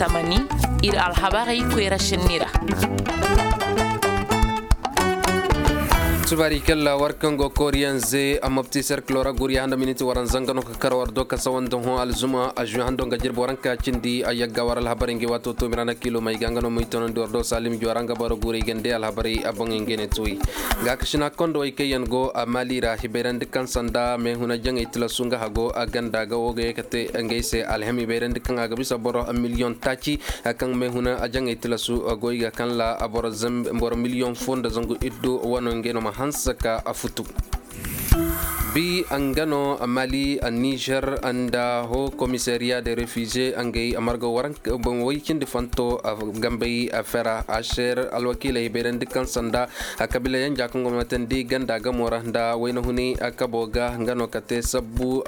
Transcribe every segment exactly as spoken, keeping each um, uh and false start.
Tamani, ir alhabarey koyra senni ra. Subaari kalla war kaŋ go kooriyaŋ ze a mopti serkilo ra guriya handa miniti waranza nga no ka kar war do ka sawandi hõ alzuma a žuwe hando nga jirbi waranka cindi a yagga war alhabarey ngi waato toomira na kilo may ga nga no moy tonandi war do salim juwa ra nga boro guray gande alhabarey a boŋey ngey ne tuwey. Gaakasina kondowey kaŋ yaŋ go a maali ra hibayrandi kaŋ sanda meehuna jaŋey tilasu nga hago a ganda ga wo ga ye ka te ngey se alhami bayrandi kaŋ a ga bisa boro miliyoŋ taaci kaŋ meehuna jaŋey tilasu goy ga kaŋ ra boro miliyoŋ fo nda zangu iddu wano ngey no ma hanse ka a futu. Bi nga no mali nizer nda ho komisariya de refize ngey marga waranka boŋ way cindi fanto gambey fera aser alwakiiley bayrandi kaŋ sanda kabila yanja kaŋ go ma tandi ganda gamo ra nda wayna huni kabo ga nga no ka te sabbu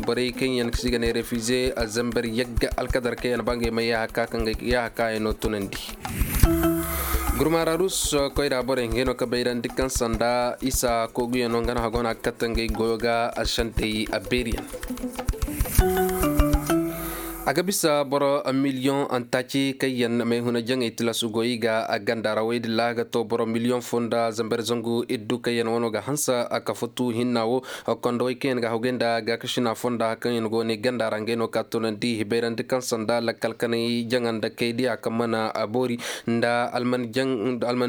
borey kaŋ yaŋ si ga ne refize zambar yagga alkadar kaŋ yaŋ ba ngey ma yaha ka kaŋ ga yaha ka yaŋ no tunandi. Gurmararus koyra borey ngey no ka bayrandi kaŋ sanda isa kooguyano nga no hago no a ga katta ngey goyo ga santey a beeriyaŋ. A ga bisa boro miliyoŋ taaci kaŋ yaŋ mayhuna jaŋey tilasu goy ga ganda ra woy din ra ga to boro miliyoŋ fo nda zambar zangu iddu kaŋ yaŋ wano ga hanse a ka futu hinna wo. Kondowey kaŋ yaŋ ga hawgay nda gaakasina fonda kaŋ yaŋ go ne ganda ra ngey no ka tunandi hibayrandi kaŋ sanda lakkal kanay jaŋa nda kaydiya kaŋ mana boori nda alman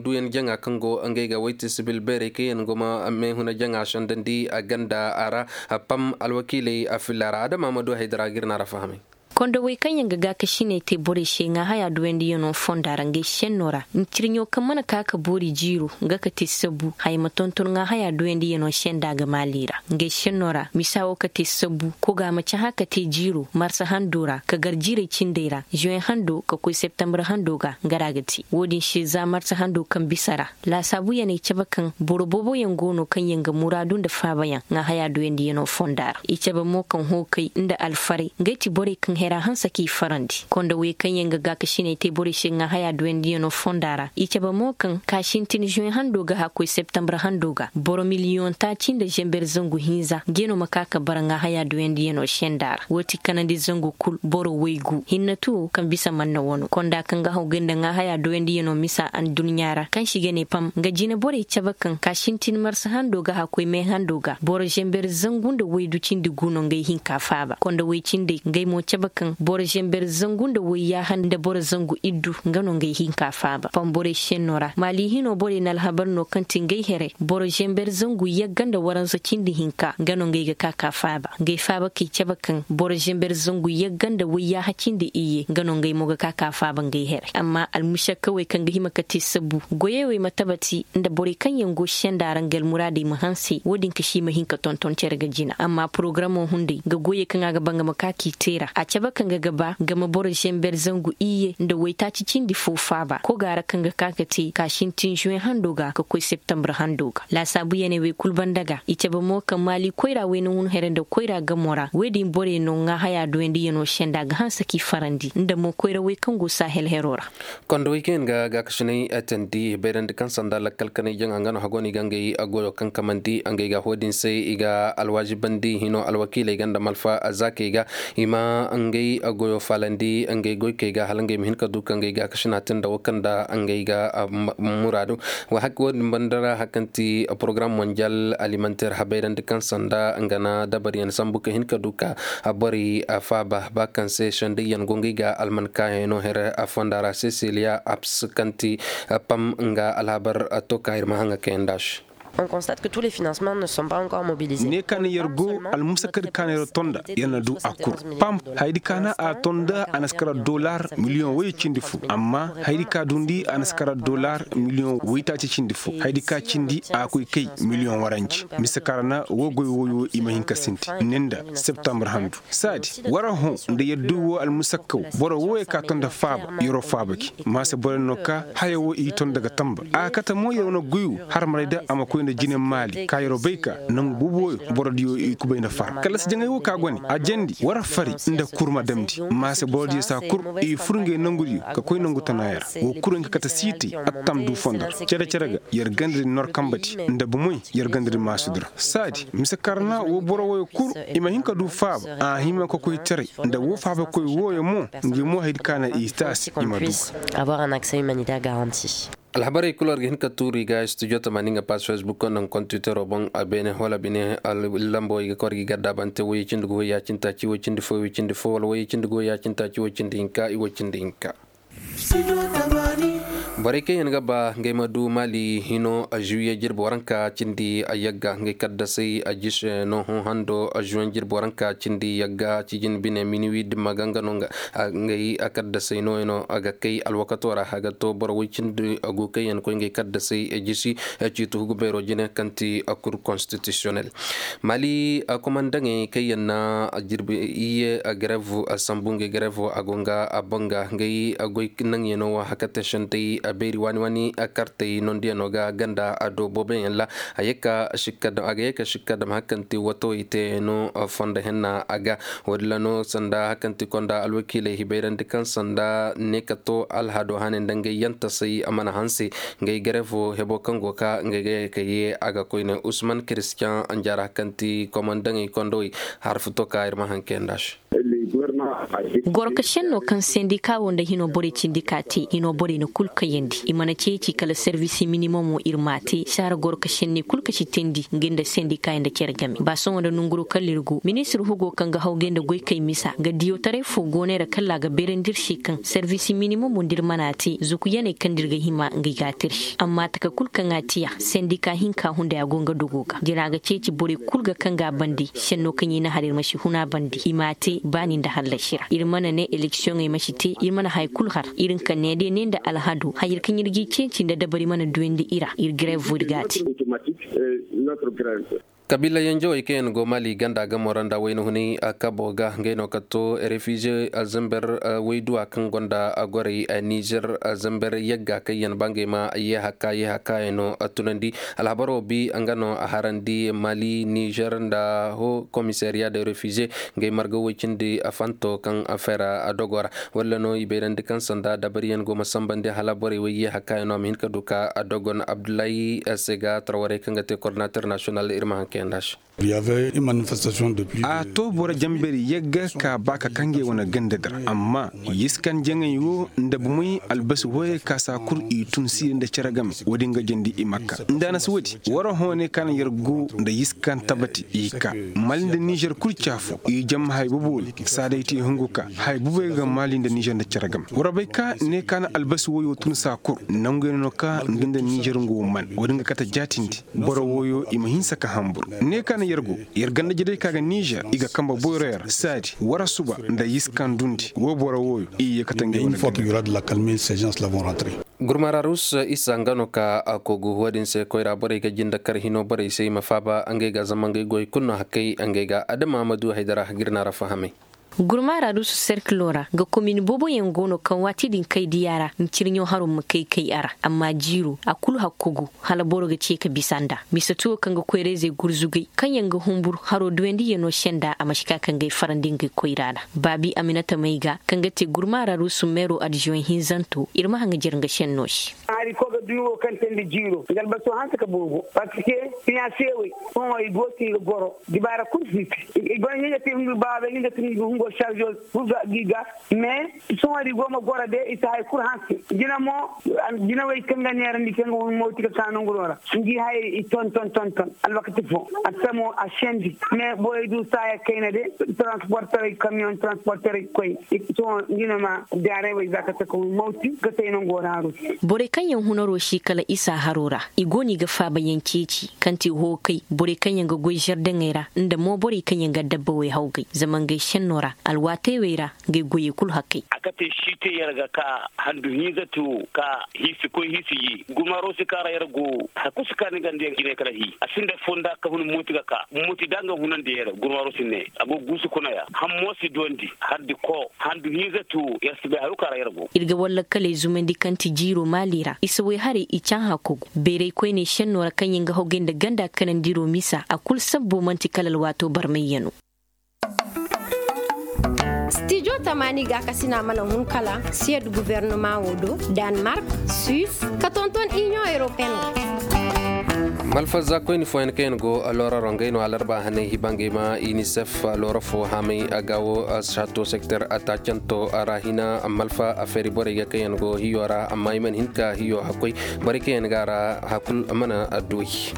duyan jaŋa kaŋ go ngey ga wayti sibil beerey kaŋ yaŋ go ma meehuna jaŋa sendandi ganda ra. Pam alwakiiley a filla ra adama ma du haydara ga ir na ra fahamay. Kondowey kaŋ yaŋ ga gaakasiney te borey se ŋaahaya duyandiyaŋo fonda ra ngey senno ra ncirɲo kaŋ mana ka ka boori jiiro nga ka te sabbu haya ma tonton ŋaahaya duyandiyaŋo senda ga maali ra ngey senno ra misa wo ka te sabbu koga ma cahã ka te jiiro marsa hando ra ka gar jiirey cindey ra zuwen hando ka koy septembre hando ga nga ra ga te wo-din se za marsa hando kaŋ bisa ra. Laasaabuyaney cabe kaŋ boro booboyaŋ go no kaŋ yaŋ ga muraadu nda faabayaŋ ŋaahaya duyandiyaŋo fonda ra i cabe mo kaŋ hookay nda alfaray ngey ti borey kaŋ hera hanse k'i farandi kondowey kaŋ yaŋ ga gaakasiney te borey se ŋaahaya duyandiyaŋo fonda ra i cabe mo kaŋ ka sintin zuwen hando ga hã koy septembre hando ga boro miliyoŋ taaci nda zember zangu hinza ngey no ma ka ka bara ŋaahaya duyandiyaŋo senda ra wo ti kanandi zangu kul boro waygu hinne tuwo kaŋ bisa manna wano konda kaŋ ga hawgay nda ŋaahaya duyandiyaŋo misa adduɲɲa ra kaŋ se i ga ne pam nga jine borey cabe kaŋ ka sintin marsa hando ga hã koy me hando ga boro zember zangu nda waydu cindi gu no ngey hinka faaba kondowey cindey ngey mo cabe kaŋ boro zember zangu nda wayyaaha nda boro zangu iddu nga no ngey hinka faaba pam borey senno ra maali hino borey na alhabar no kaŋ ti ngey here boro zember zangu yagga nda waransa cindi hinka nga no ngey ga ka ka faaba ngey faaba k'i cabe kaŋ boro zember zangu yagga nda wayyaaha cindi iyye nga no ngey mo ga ka ka faaba ngey here amma almusakkawey kaŋ ga hima ka te sabbu goyey wey ma tabati nda borey kaŋ yaŋ go senda ra nga almuraadey ma hanse wo-din ka si i ma hin ka tonton cere ga jina amma porogaramoo hunday nga goyey kaŋ a ga ba nga ma ka k'i te ra a cabe kaŋ ga ga ba nga ma boro zember zangu iyye nda waytaaci cindi fo faaba koga ra kaŋ ga ka ka te ka sintin zuwen hando ga ka koy septembre hando ga laasaabuyaney wey kul banda ga i cabe mo kaŋ maali koyra wey na hun here nda koyra gamo ra wey din borey no ŋaahaya duyandiyaŋo senda ga hanse k'i farandi nda mo koyra wey kaŋ go sahel hero ra. Kondowey kaŋ yaŋ ga gaakasiney teendi bayrandi kaŋ sanda lakkal kanay jaŋa nga no hago no i ga ngey goyo kaŋ kamandi ngey ga ho-din se i ga alwaazibandi hino alwakiiley ga nda malfa zaakey ga i ma ngey goyo faalandi ngey goykey ga hala ngey ma hin ka du ka ngey gaakasina te nda wo kaŋ nda ngey ga muraadu. Wa hakka wo-din banda ra hari kaŋ ti porogaram monjal alimanteer habayrandi kaŋ sanda nga na dabaryaŋ sambu ka hin ka du ka borey faaba ba kaŋ se sendayyaŋ go ngey ga alman kaayaŋ no here fonda ra sesiliya aps kaŋ ti pam nga alhabar to ka ir ma haŋa kayanda se. Ne ka na yer go almusakar ka na yer tonda yer na du a kuru pam haydi ka na a tonda a na si kara dolar miliyoŋ way cindi fo amma haydi ka dundi a na si kara dolar miliyoŋ waytaaci cindi fo haydi ka cindi a koy kay miliyoŋ waranci mise kara na wo goy woyo i ma hin ka sinti ninda septembre handu saadi wara hõ nda yer du wo almusakkaw boro wooyo ka tonda faaba yer'o faaba gi maasa boro no ka haya wo i tonda ga tamba a kate mo yer wane goy wo har maray da a ma koy Nda jine maali ka yeroo bay ka nangu boobo wooyo borodiyo i kubay nda far kala si jaŋay woo ka go ne a jandi war fari nda kur ma damndi. Maase borodiyo saa kur i fur ngey nangudiyo ka koy nangu tanaaya ra. Woo kur nga kate siitay attam duu fondo ra cere-cere ga yer ganda di nor kambadi nda bumoy yer ganda di maasudi ra saadi mise karna woo boro wooyo kur i ma hin ka duu faaba a hima kokoytaray nda woo faabakoy wooyo mo. Ngi mo haydi ka na i taasi i ma duu ga. Avoir un accès humanitaire garanti. Alhabarey kul war ga hin ka tuuri ga studio tamaani nga pass facebook konda nga kontitero boŋ a beene wala bine. Lambowey ga ka war ga i gaddaabante woy cindi go woy yaacintaaci woy cindi fo woy cindi fo wala woy cindi go woy yaacintaaci woy cindi hinka i woy cindi hinka. Borey kaŋ yaŋ ga ba ngey ma du maali hino a zuwiye jirbi waranka cindi a yagga ngey kaddasey a jise no hõ hando a zuwiye jirbi waranka cindi yagga cijin bine miniwi dimma ganga no nga. Ngey a kaddasey nooya no a ga kay alwakato ra a ga to boro woy cindi a go kaŋ yaŋ koy ngey kaddasey jisi. Ciiti hugu beero jine kaŋ ti kur konstitisiyonel. Mali komandaŋey kaŋ yaŋ na jirbi iyye grev sambu ngey grev a go nga a banga ngey goy naŋyaŋo wa haka te sentey beeri waani waani kartey nondiyano ga ganda a do booboyaŋ ra. A ga ye ka sikka dam haka kaŋ ti watawey te no fondo henna a ga. Woodin ra no sanda haka kaŋ ti konda alwakiiley hibayrandi kaŋ sanda ne ka to alhado hane nda ngey yantasey a mana hanse. Ngey grevo hebo kaŋ go ka ngey ga ye ka ye a ga koyne usman kiristiyan anjara kaŋ ti komandaŋey kondowey. Harfu to ka ir ma haŋ kayanda se. Gorka senno kaŋ sendika wo nda hino borey cindi ka te i no borey na kul kayandi i mana ceeci kala servis minimum wo ir ma te saara gorka senney kul ka si teendi nga nda sendika nda cere game ba sohõ nda nonguro kala ir go ministir hugo kaŋ ga hawgay nda goykey misa nga diyotaray fo go neera kala a ga beerandi ir se kaŋ servis minimum wo nda ir mana te zukuyaney kaŋ nda ir ga hima nga i ga a te ir se amma taka kul kaŋ a te a sendika hinka hunday a go nga dogo ga jina ga ceeci borey kul ga kaŋ ga a bande senno kaŋ i na har ir ma si hun a bande i m'a te baani nda hallasi ra ir mana ne eleksiyoŋey ma si te ir mana haya kul har ir nka ne day ne nda alhado hayey kaŋ ir g'i ceeci nda dabari mana duyandi i ra ir grevo ir g'a te. Kabiila yanjawey kaŋ yaŋ go mali ganda gamo ra nda wayna hunay kabo ga ngey no ka to refize zember wayduwa kaŋ gonda gorey nizer zember yagga kaŋ yaŋ ba ngey ma yeehaka yeehaka yaŋ no tunandi. Alhabaro bi nga no a harandi mali nizer nda ho komisariya de refize ngey marga woy cindi fanto kaŋ fera dogo ra. Walla no i bayrandi kaŋ sanda dabariyaŋ go ma sambandi hala borey way yeehaka yaŋ no a ma hin ka du ka dogon abdullahi se ga tarwarey kaŋ ga te kordinater nasiyonal ir ma haŋ kayanda se. A to boro jambari yagga ka ba ka kaŋ ngey wane ganda dira amma yiskan jaŋay wo nda bumey albasi wooyey ka saa kul i tun siiri nda cere game. Woodin ga jandi i makka nda a na si woodi wara hõ ne ka na yer go nda yiskan tabati i ka mali nda nizer kul caafo i jam hay bobo ne. Saa day te hungu ka hay bubey ga mali nda nizer nda cere game war bay ka ne ka na albasi wooyo tun saa kul nanguyey no ka ngi nda nizer ngo man woodin ga kate jaatindi. Boro wooyo i ma hinsa ka hambur ne ka na yer go yer ganda jadey ka ga nizer i ga kamba boyro yer saadi wara suba nda yiskan dundi woo boro wooyo i ye kate ngey wane ganda. Gurmararus isa nga no ka a kogu woodin se koyra borey ga jinde kar hino borey se i ma faaba ngey ga zama ngey goy kulu no hakkay ngey ga adama ma du haydara ga ir na ra fahamay. Gurmaara dusu serkilo ra nga komin booboyaŋ go no kaŋ waati din kay diya ra ncirɲo haro ma kay kay a ra amma jiiro a kulu hakkogu hala boro ga ce ka bisa nd'a mise tuwo kaŋ ga koyra-izey gurzugay kaŋ yaŋ ga humbur haro duyandiyanoo se nd'a a ma si ka ka ngey farandi ngey koyra ra. Baabi aminata may ga kaŋ ga te gurmaara dusu meero adiziyoŋ hinzanto ir ma haŋ ga jere nga sennoo se. Hari ko ga duyo kaŋ te nda jiiro nga albaso hanse ka boobo parceque siyaasewey sohõ i go ti ga goro dibaara kulu si te. I go ni ga te hungu baabey ni ga te hungu hungo sarzo kulu ga gi ga mais sohõ di go ma goro de i si hari kulu hanse. Jina mo jinawey kaŋ ga neerandi kaŋ ga hun mawti ka ka nonguroo ra ngi hayey i ton ton ton ton alwakati fo a samo a sendi mais borey du saaya kayna de transporterey kamiyoŋ transporterey koy. Sohõ ngi no ma daarey wey za ka taka hun mawti ka say nongoo ra haru. Borey kaŋ yaŋ hunaroo si kala isa haroo ra i go no i ga faabayaŋ ceeci kaŋ ti hookay borey kaŋ yaŋ ga goy zardaŋey ra nda mo borey kaŋ yaŋ ga dabbawey hawgay zama ngey sennoo ra Alwaatey wey ra, ngey goyey kul hakkey. A kate si te yer ga ka handu hinza te wo ka hiisi koy hiisi ye gurmaaro si ka ra yer go. Hakku si ka ni ganda yer jinay kala hii a sinda fonda ka hun mooti ga ka mooti da nga hunandi yer gurmaaro si ne a go guusu kuna ya hammo si duwandi hardi ko handu hinza te wo yer si bay haru ka ra yer go. Ir ga wallakkaley zumandi kaŋ ti jiiro maali ra i si way haray i cahã kogu bayray koyney šennoo ra kaŋ yaŋ ga hogay nda ganda kanandiro misa a kul sabbo man'ti kala alwaatoo barmayyanoo. Stijo tamaani gaakasina mana hun kala siyed guvernama wo do, danmark, suis, ka tonton inion european. Malfazza koyni fooyaŋ kaŋ yaŋ go looraro ngey no alarba hanay hibangey ma inisef loora fo haamay a ga wo sato sekter a taacanto a ra hina malfa a feeri borey ga kaŋ yaŋ go hiyo ra amma i mana hin ka hiyo hakkoy. Borey kaŋ yaŋ ga a ra hakul mana a duwey.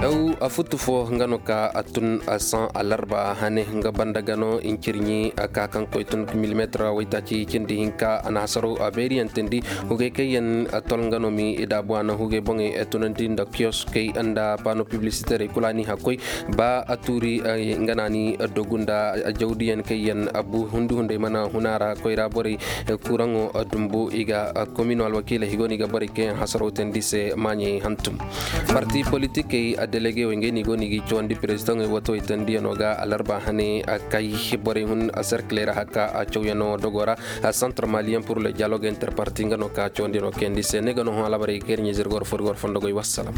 Aw a futtu fo nga no ka a tun a saŋ alarba hane nga banda ga no incirɲi a ka kaŋ koy tun milimeetira waytaaci cindi hinka a na hasaro a beeriyaŋ tindi. Hugey kaŋ yaŋ a tol nga no mi i daabu a na hugey boŋey a tunandi nda kiyoskey nda paano piblisiterey kula ni hakkoy. Ba a tuuri nga na ni dogu nda jawdiyaŋ kaŋ yaŋ a bu hundu hunday mana huna ra koyra borey kuraŋo dumbu i ga komino alwakiiley i go no i ga borey kaŋ yaŋ hasaro teendi se maaɲey hantum. Parti politikey a delegey wey ngey no i go no i ga i cawandi perezidaŋey watawey teendiyaŋo ga alarba hane a kay borey hun a serkiley ra haka a cawyaŋo dogo ra. Santar maliyaŋ pur le dialogue interparti nga no ka cawandiyaŋo kayandi se ne ga no hõ alabarey ga yer ɲey zirgor fo ir gor fondo goy wassalam.